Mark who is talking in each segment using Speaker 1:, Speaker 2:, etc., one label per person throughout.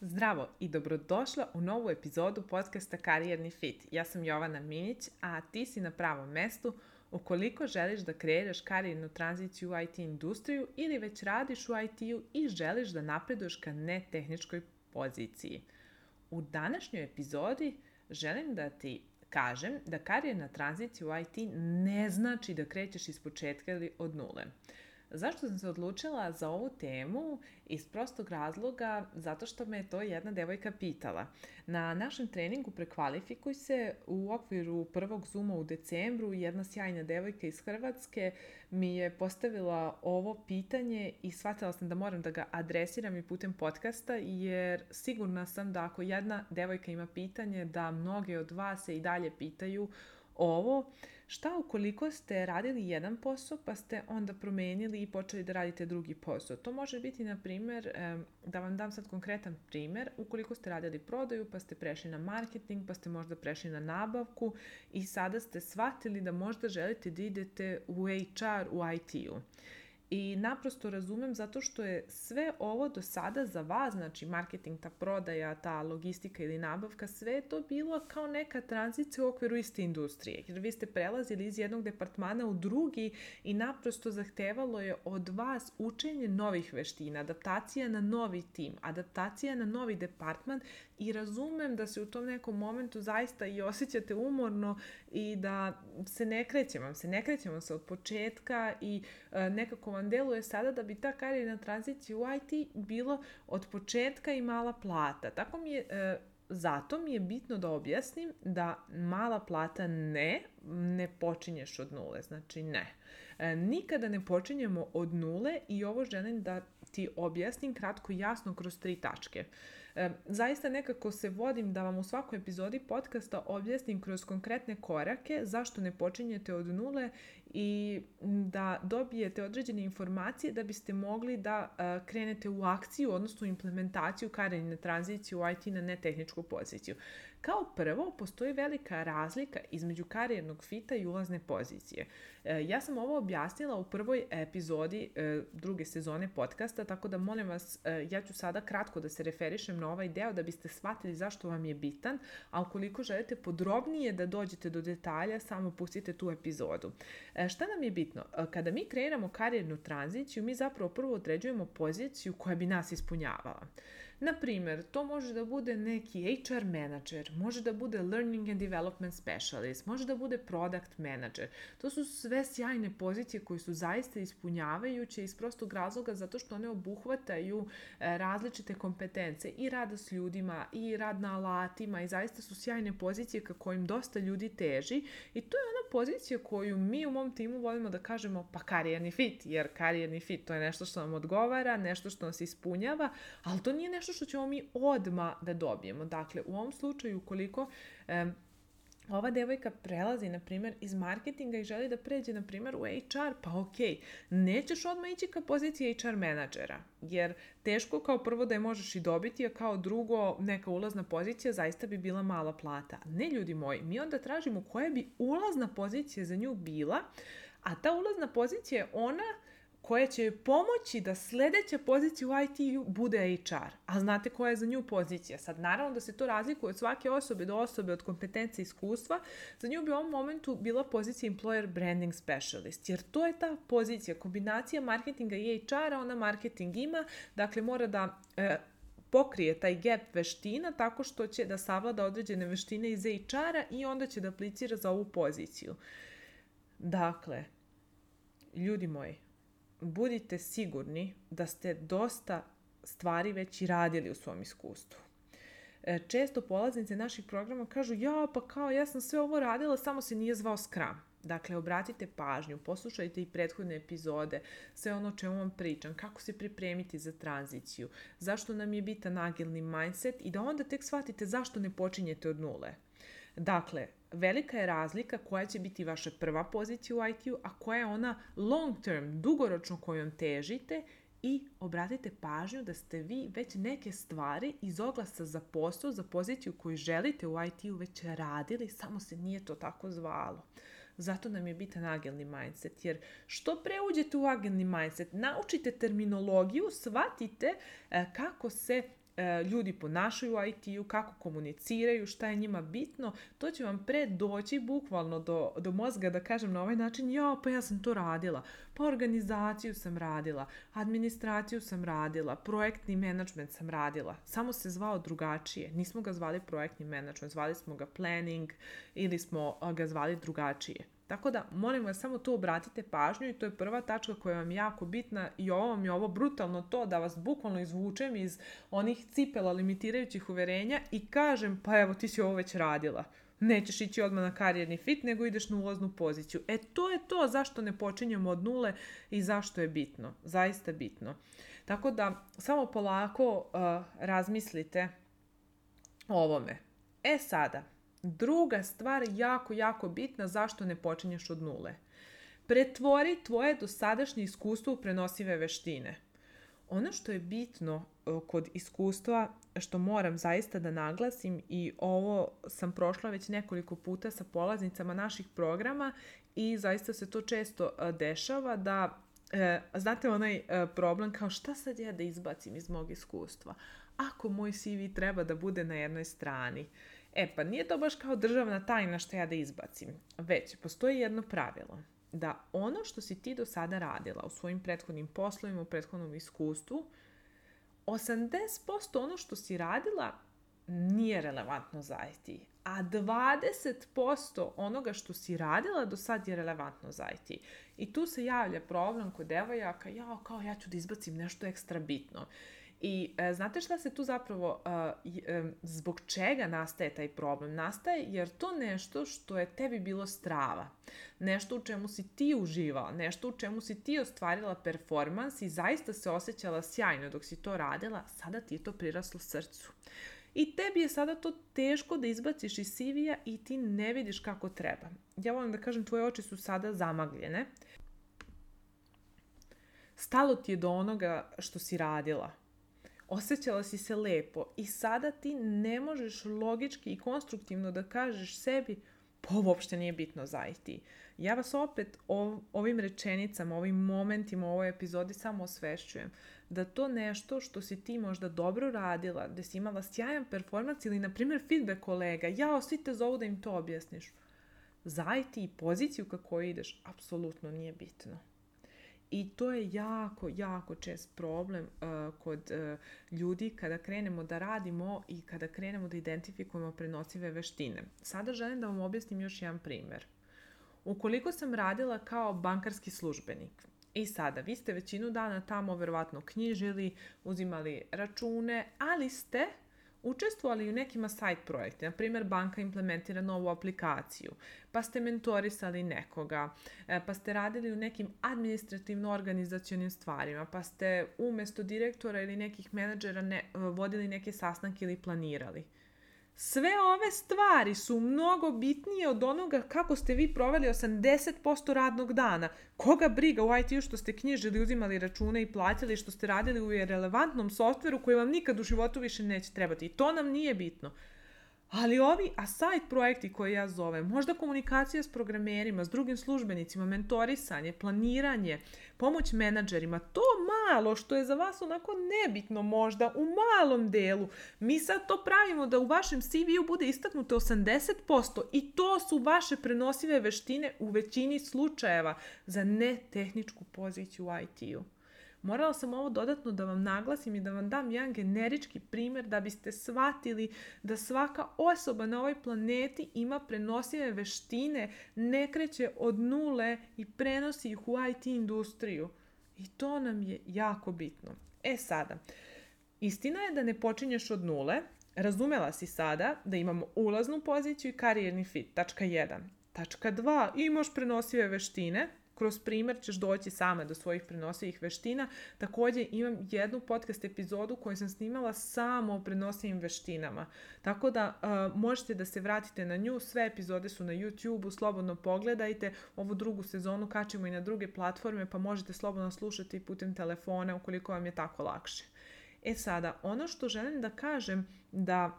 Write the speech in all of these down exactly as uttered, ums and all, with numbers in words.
Speaker 1: Zdravo i dobrodošla u novu epizodu podcasta Karijerni fit. Ja sam Jovana Minić, a ti si na pravom mestu ukoliko želiš da kreiraš karijernu tranziciju u I T industriju ili već radiš u I T-u i želiš da napreduješ ka netehničkoj poziciji. U današnjoj epizodi želim da ti kažem da karijerna tranzicija u I T ne znači da krećeš iz početka ili od nule. Zašto sam se odlučila za ovu temu? Iz prostog razloga, zato što me je to jedna devojka pitala. Na našem treningu Prekvalifikuj se u okviru prvog Zooma u decembru jedna sjajna devojka iz Hrvatske mi je postavila ovo pitanje i shvatila sam da moram da ga adresiram i putem podcasta, jer sigurna sam da ako jedna devojka ima pitanje, da mnoge od vas se i dalje pitaju ovo. Šta ukoliko ste radili jedan posao pa ste onda promenili i počeli da radite drugi posao? To može biti, na primjer, da vam dam sad konkretan primjer, ukoliko ste radili prodaju pa ste prešli na marketing, pa ste možda prešli na nabavku i sada ste shvatili da možda želite da idete u H R u I T-u. I naprosto razumem zato što je sve ovo do sada za vas, znači marketing, ta prodaja, ta logistika ili nabavka, sve je to bilo kao neka tranzicija u okviru iste industrije. Jer vi ste prelazili iz jednog departmana u drugi i naprosto zahtevalo je od vas učenje novih veština, adaptacija na novi tim, adaptacija na novi departman i razumem da se u tom nekom momentu zaista i osjećate umorno i da se ne krećemo, se ne krećemo se od početka i e, nekako vam deluje sada da bi ta karijerna tranzicija u I T bilo od početka i mala plata. Tako mi je, e, zato mi je bitno da objasnim da mala plata ne, ne počinješ od nule, znači ne. E, nikada ne počinjemo od nule i ovo želim da ti objasnim kratko i jasno kroz tri tačke. E, zaista nekako se vodim da vam u svakoj epizodi podcasta objasnim kroz konkretne korake zašto ne počinjete od nule i da dobijete određene informacije da biste mogli da uh, krenete u akciju, odnosno implementaciju karijerne tranzicije u I T na netehničku poziciju. Kao prvo, postoji velika razlika između karijernog fita i ulazne pozicije. E, ja sam ovo objasnila u prvoj epizodi e, druge sezone podcasta, tako da molim vas, e, ja ću sada kratko da se referišem na ovaj deo da biste shvatili zašto vam je bitan, a ukoliko želite podrobnije da dođete do detalja, samo pustite tu epizodu. E, šta nam je bitno? E, kada mi kreiramo karijernu tranziciju, mi zapravo prvo određujemo poziciju koja bi nas ispunjavala. Na primjer, to može da bude neki H R manager, može da bude learning and development specialist, može da bude product manager. To su sve sjajne pozicije koje su zaista ispunjavajuće iz prostog razloga zato što one obuhvataju različite kompetence i rada s ljudima i rad na alatima i zaista su sjajne pozicije ka kojim dosta ljudi teži i to je ona pozicija koju mi u mom timu volimo da kažemo pa karijerni fit, jer karijerni fit to je nešto što nam odgovara, nešto što nas ispunjava, ali to nije nešto što ćemo mi odmah da dobijemo. Dakle, u ovom slučaju, ukoliko um, ova devojka prelazi, na primjer, iz marketinga i želi da pređe, na primjer, u H R, pa ok, nećeš odmah ići ka poziciji H R menadžera, jer teško kao prvo da je možeš i dobiti, a kao drugo neka ulazna pozicija zaista bi bila mala plata. Ne, ljudi moji, mi onda tražimo koja bi ulazna pozicija za nju bila, a ta ulazna pozicija je ona koja će pomoći da sljedeća pozicija u I T-u bude H R. A znate koja je za nju pozicija? Sad, naravno da se to razlikuje od svake osobe do osobe, od kompetencije i iskustva. Za nju bi u ovom momentu bila pozicija Employer Branding Specialist, jer to je ta pozicija, kombinacija marketinga i H R-a, ona marketing ima, dakle mora da e, pokrije taj gap veština tako što će da savlada određene veštine iz H R-a i onda će da aplicira za ovu poziciju. Dakle, ljudi moji, budite sigurni da ste dosta stvari već i radili u svom iskustvu. Često polaznice naših programa kažu ja pa kao ja sam sve ovo radila, samo se nije zvao Scrum. Dakle, obratite pažnju, poslušajte i prethodne epizode, sve ono o čemu vam pričam, kako se pripremiti za tranziciju, zašto nam je bitan agilni mindset i da onda tek shvatite zašto ne počinjete od nule. Dakle, velika je razlika koja će biti vaša prva pozicija u I T-u, a koja je ona long term, dugoročno kojom težite i obratite pažnju da ste vi već neke stvari iz oglasa za posao, za poziciju koju želite u I T-u već radili, samo se nije to tako zvalo. Zato nam je bitan agilni mindset, jer što pre uđete u agilni mindset, naučite terminologiju, shvatite kako se ljudi ponašaju u I T-u, kako komuniciraju, šta je njima bitno, to će vam pre doći bukvalno do, do mozga da kažem na ovaj način, ja, pa ja sam to radila, pa organizaciju sam radila, administraciju sam radila, projektni menadžment sam radila, samo se zvao drugačije, nismo ga zvali projektni menadžment, zvali smo ga planning ili smo ga zvali drugačije. Tako da, molim vas, samo tu obratite pažnju i to je prva tačka koja vam je jako bitna i ovo vam je ovo brutalno to da vas bukvalno izvučem iz onih cipela limitirajućih uverenja i kažem, pa evo ti si ovo već radila. Nećeš ići odmah na karijerni fit, nego ideš na ulaznu poziciju. E to je to zašto ne počinjemo od nule i zašto je bitno. Zaista bitno. Tako da, samo polako uh, razmislite o ovome. E sada, druga stvar jako, jako bitna zašto ne počinješ od nule. Pretvori tvoje dosadašnje iskustvo u prenosive veštine. Ono što je bitno kod iskustva, što moram zaista da naglasim i ovo sam prošla već nekoliko puta sa polaznicama naših programa i zaista se to često dešava da, znate onaj problem kao šta sad ja da izbacim iz mog iskustva? Ako moj C V treba da bude na jednoj strani, E pa nije to baš kao državna tajna što ja da izbacim, već postoji jedno pravilo, da ono što si ti do sada radila u svojim prethodnim poslovima, u prethodnom iskustvu, osamdeset posto ono što si radila nije relevantno za I T, a dvadeset posto onoga što si radila do sad je relevantno za I T. I tu se javlja problem kod devojaka, ja kao ja ću da izbacim nešto ekstra bitno. I e, znate šta se tu zapravo, e, e, zbog čega nastaje taj problem? Nastaje jer to nešto što je tebi bilo strava, nešto u čemu si ti uživala, nešto u čemu si ti ostvarila performans i zaista se osjećala sjajno dok si to radila, sada ti je to priraslo srcu. I tebi je sada to teško da izbaciš iz C V-a i ti ne vidiš kako treba. Ja volim da kažem, tvoje oči su sada zamagljene. Stalo ti je do onoga što si radila. Osjećala si se lepo i sada ti ne možeš logički i konstruktivno da kažeš sebi pa ovo uopšte nije bitno za I T. Ja vas opet ov, ovim rečenicama, ovim momentima u ovoj epizodi samo osvešćujem da to nešto što si ti možda dobro radila, da si imala sjajan performans ili na primjer feedback kolega, jao svi te zovu da im to objasniš. Za I T i poziciju kako ideš apsolutno nije bitno. I to je jako, jako čest problem uh, kod uh, ljudi kada krenemo da radimo i kada krenemo da identifikujemo prenosive veštine. Sada želim da vam objasnim još jedan primjer. Ukoliko sam radila kao bankarski službenik i sada vi ste većinu dana tamo verovatno knjižili, uzimali račune, ali ste učestvovali u nekima side projekte, na primjer banka implementira novu aplikaciju, pa ste mentorisali nekoga, pa ste radili u nekim administrativno-organizacionim stvarima, pa ste umjesto direktora ili nekih menadžera ne, vodili neke sastanke ili planirali. Sve ove stvari su mnogo bitnije od onoga kako ste vi proveli osamdeset posto radnog dana. Koga briga u I T-u što ste knjižili, uzimali račune i platili, što ste radili u relevantnom softveru koji vam nikad u životu više neće trebati. I to nam nije bitno. Ali ovi aside projekti koje ja zovem, možda komunikacija s programerima, s drugim službenicima, mentorisanje, planiranje, pomoć menadžerima, to malo što je za vas onako nebitno možda u malom delu, mi sad to pravimo da u vašem C V-u bude istaknuto osamdeset posto i to su vaše prenosive veštine u većini slučajeva za netehničku poziciju u I T-u. Morala sam ovo dodatno da vam naglasim i da vam dam jedan generički primjer da biste shvatili da svaka osoba na ovoj planeti ima prenosive veštine, ne kreće od nule i prenosi ih u I T industriju. I to nam je jako bitno. E sada, istina je da ne počinješ od nule, razumela si sada da imamo ulaznu poziciju i karijerni fit, tačka jedan. Tačka dva, imaš prenosive veštine, kroz primjer ćeš doći sama do svojih prenosivih veština. Također imam jednu podcast epizodu koju sam snimala samo o prenosivim veštinama. Tako da uh, možete da se vratite na nju. Sve epizode su na YouTube-u, slobodno pogledajte. Ovu drugu sezonu kačemo i na druge platforme, pa možete slobodno slušati putem telefona ukoliko vam je tako lakše. E sada, ono što želim da kažem da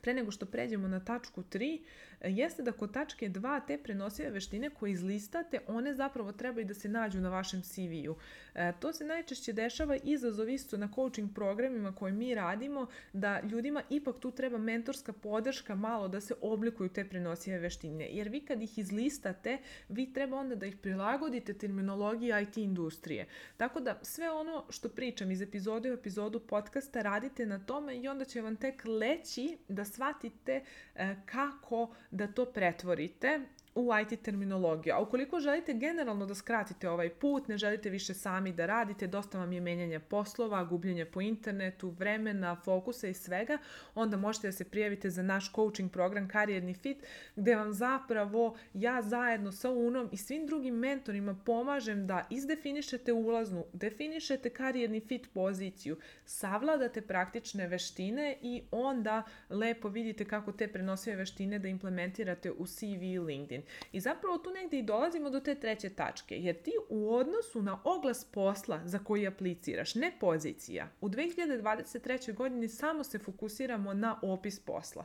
Speaker 1: pre nego što pređemo na tačku tri, jeste da kod tačke dva te prenosive veštine koje izlistate, one zapravo trebaju da se nađu na vašem C V-u. E, to se najčešće dešava, izazov isto na coaching programima koje mi radimo, da ljudima ipak tu treba mentorska podrška malo da se oblikuju te prenosive veštine. Jer vi kad ih izlistate, vi treba onda da ih prilagodite terminologiji I T industrije. Tako da sve ono što pričam iz epizode u epizodu podcasta radite na tome i onda će vam tek leći da shvatite e, kako da to pretvorite u I T terminologiju. A ukoliko želite generalno da skratite ovaj put, ne želite više sami da radite, dosta vam je menjanje poslova, gubljenje po internetu, vremena, fokusa i svega, onda možete da se prijavite za naš coaching program Karijerni fit, gde vam zapravo ja zajedno sa Unom i svim drugim mentorima pomažem da izdefinišete ulaznu, definišete karijerni fit poziciju, savladate praktične veštine i onda lepo vidite kako te prenosive veštine da implementirate u C V i LinkedIn. I zapravo tu negdje i dolazimo do te treće tačke, jer ti u odnosu na oglas posla za koji apliciraš, ne pozicija, u dve hiljade dvadeset trećoj godini samo se fokusiramo na opis posla.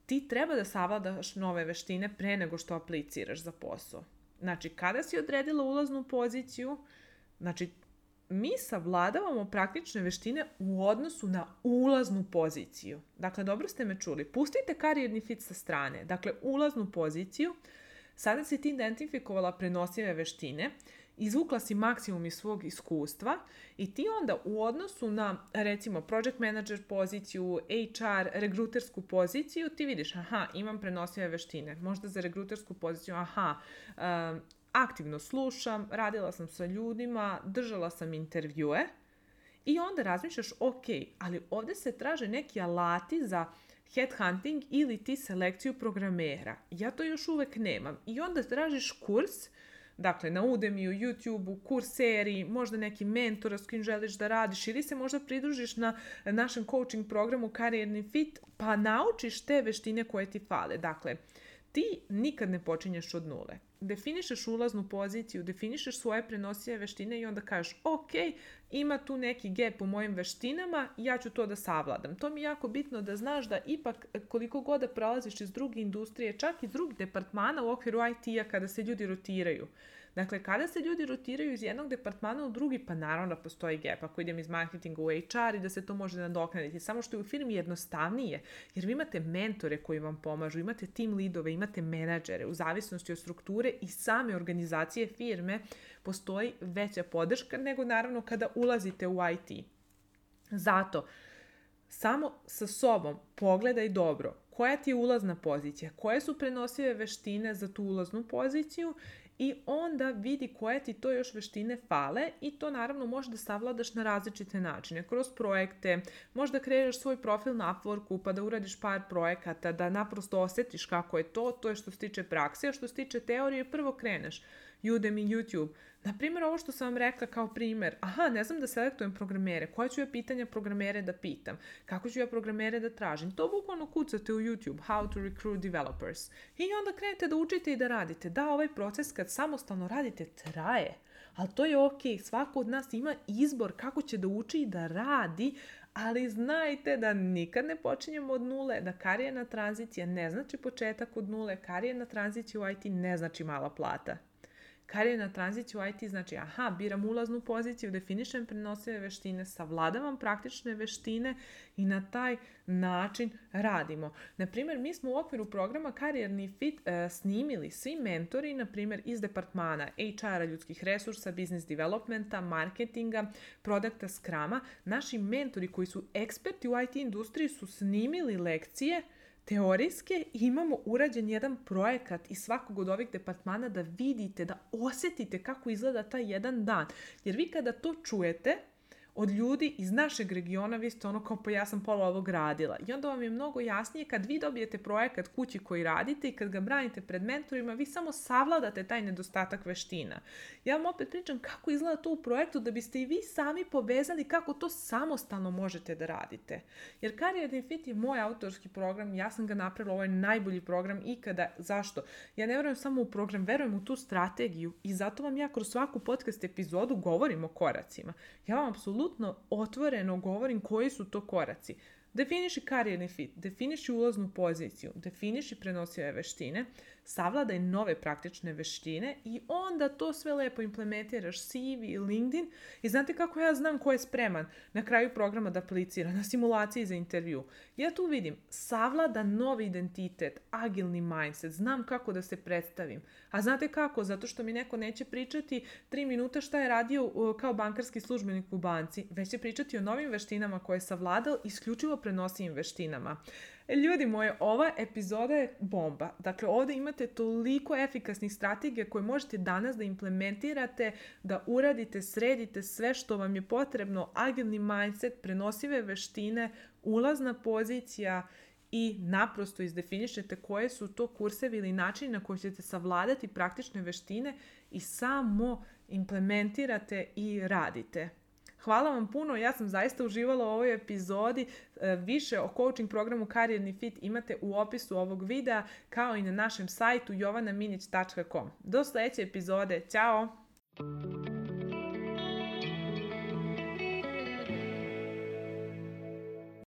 Speaker 1: Ti treba da savladaš nove veštine pre nego što apliciraš za posao. Znači, kada si odredila ulaznu poziciju, znači, mi savladavamo praktične veštine u odnosu na ulaznu poziciju. Dakle, dobro ste me čuli. Pustite karijerni fit sa strane. Dakle, ulaznu poziciju. Sada si ti identifikovala prenosive veštine, izvukla si maksimum iz svog iskustva i ti onda u odnosu na, recimo, project manager poziciju, H R, regrutersku poziciju, ti vidiš, aha, imam prenosive veštine. Možda za regrutersku poziciju, aha, um, aktivno slušam, radila sam sa ljudima, držala sam intervjue i onda razmišljaš, ok, ali ovdje se traže neki alati za headhunting ili ti selekciju programera. Ja to još uvek nemam. I onda tražiš kurs, dakle na Udemyu, YouTubeu, Courseri, možda neki mentora s kim želiš da radiš ili se možda pridružiš na našem coaching programu Karijerni fit, pa naučiš te veštine koje ti fale. Dakle, ti nikad ne počinješ od nule. Definišeš ulaznu poziciju, definišeš svoje prenosive veštine i onda kažeš, ok, ima tu neki gap u mojim veštinama, ja ću to da savladam. To mi je jako bitno da znaš da ipak koliko god da prolaziš iz druge industrije, čak iz drugih departmana u okviru I T-a kada se ljudi rotiraju. Dakle, kada se ljudi rotiraju iz jednog departmana u drugi, pa naravno da postoji gap. Ako idem iz marketinga u H R i da se to može nadoknaditi. Samo što je u firmi jednostavnije, jer vi imate mentore koji vam pomažu, imate team leadove, imate menadžere. U zavisnosti od strukture i same organizacije firme postoji veća podrška nego naravno kada ulazite u I T. Zato, samo sa sobom pogledaj dobro koja ti je ulazna pozicija, koje su prenosive veštine za tu ulaznu poziciju i onda vidi koje ti to još veštine fale i to naravno možeš da savladaš na različite načine. Kroz projekte, možda kreiraš svoj profil na Upworku pa da uradiš par projekata, da naprosto osjetiš kako je to, to je što se tiče prakse, a što se tiče teorije prvo kreneš. Udemy, YouTube. Naprimjer, ovo što sam vam rekla kao primjer. Aha, ne znam da selektujem programere. Koje ću ja pitanja programere da pitam? Kako ću ja programere da tražim? To bukvalno kucate u YouTube. How to recruit developers. I onda krenete da učite i da radite. Da, ovaj proces kad samostalno radite traje. Ali to je ok. Svako od nas ima izbor kako će da uči i da radi. Ali znajte da nikad ne počinjemo od nule, da karijerna tranzicija ne znači početak od nule. Karijerna tranzicija u I T ne znači mala plata. Karijerna tranzicija u I T znači, aha, biram ulaznu poziciju, definišem prenosive veštine, savladavam praktične veštine i na taj način radimo. Naprimjer, mi smo u okviru programa Karijerni fit e, snimili svi mentori, naprimjer, iz departmana H R-a, ljudskih resursa, business developmenta, marketinga, produkta, Scruma. Naši mentori koji su eksperti u I T industriji su snimili lekcije teorijske, imamo urađen jedan projekat iz svakog od ovih departmana da vidite, da osjetite kako izgleda taj jedan dan. Jer vi kada to čujete od ljudi iz našeg regiona, vi ste ono kao pa ja sam pola ovog radila. I onda vam je mnogo jasnije kad vi dobijete projekat kući koji radite i kad ga branite pred mentorima, vi samo savladate taj nedostatak veština. Ja vam opet pričam kako izgleda to u projektu da biste i vi sami povezali kako to samostalno možete da radite. Jer Karijerni fit je moj autorski program, ja sam ga napravila, ovo je najbolji program ikada. Zašto? Ja ne verujem samo u program, verujem u tu strategiju i zato vam ja kroz svaku podcast epizodu govorim o koracima. Ja vam apsolutno otvoreno govorim koji su to koraci. Definiši karijerni fit, definiši ulaznu poziciju, definiši prenosive veštine, savladaj nove praktične veštine i onda to sve lepo implementiraš C V i LinkedIn. I znate kako ja znam ko je spreman na kraju programa da aplicira, na simulaciji za intervju? Ja tu vidim savlada novi identitet, agilni mindset, znam kako da se predstavim. A znate kako? Zato što mi neko neće pričati tri minuta šta je radio kao bankarski službenik u banci, već će pričati o novim veštinama koje je savladao isključivo prenosivim veštinama. Ljudi moji, ova epizoda je bomba. Dakle, ovdje imate toliko efikasnih strategija koje možete danas da implementirate, da uradite, sredite sve što vam je potrebno, agilni mindset, prenosive veštine, ulazna pozicija i naprosto izdefinišete koje su to kursevi ili načini na koji ćete savladati praktične veštine i samo implementirate i radite. Hvala vam puno, ja sam zaista uživala u ovoj epizodi. Više o coaching programu Karijerni fit imate u opisu ovog videa, kao i na našem sajtu jovana minić tačka com. Do sljedeće epizode, ćao!